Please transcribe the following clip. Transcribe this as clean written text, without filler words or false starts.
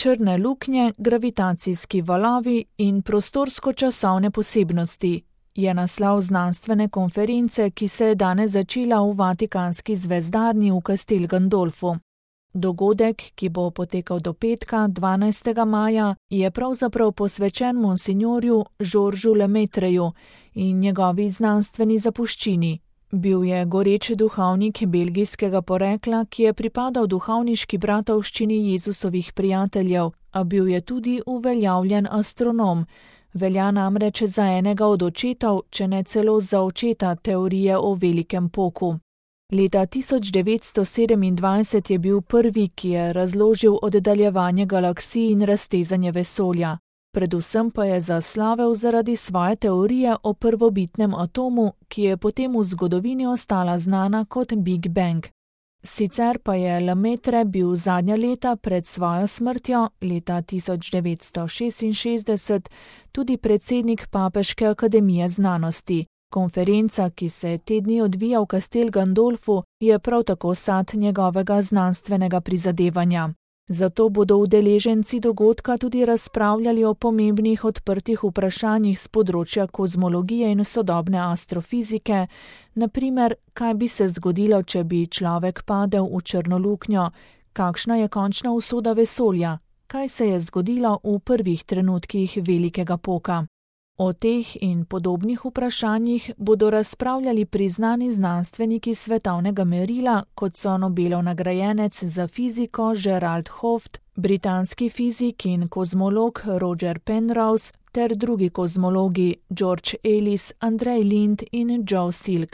Črne luknje, gravitacijski valovi in prostorsko-časovne posebnosti je naslov znanstvene konference, ki se je danes začela v Vatikanski zvezdarni v Castel Gandolfu. Dogodek, ki bo potekal do petka, 12. maja, je pravzaprav posvečen monsinjorju Georgesu Lemetreju in njegovi znanstveni zapuščini. Bil je goreč duhovnik belgijskega porekla, ki je pripadal duhovniški bratovščini Jezusovih prijateljev, a bil je tudi uveljavljen astronom. Velja namreč za enega od očetov, če ne celo za očeta teorije o velikem poku. Leta 1927 je bil prvi, ki je razložil oddaljevanje galaksij in raztezanje vesolja. Predvsem pa je zaslavel zaradi svoje teorije o prvobitnem atomu, ki je potem v zgodovini ostala znana kot Big Bang. Sicer pa je Lemaitre bil zadnja leta pred svojo smrtjo, leta 1966, tudi predsednik Papeške akademije znanosti. Konferenca, ki se te dni odvija v Castel Gandolfu, je prav tako sad njegovega znanstvenega prizadevanja. Zato bodo udeleženci dogodka tudi razpravljali o pomembnih odprtih vprašanjih z področja kozmologije in sodobne astrofizike, na primer, kaj bi se zgodilo, če bi človek padel v črno luknjo, kakšna je končna usoda vesolja, kaj se je zgodilo v prvih trenutkih velikega poka. O teh in podobnih vprašanjih bodo razpravljali priznani znanstveniki svetovnega merila, kot so Nobelov nagrajenec za fiziko Gerald Hooft, britanski fizik in kozmolog Roger Penrose ter drugi kozmologi George Ellis, Andrej Lind in Joe Silk.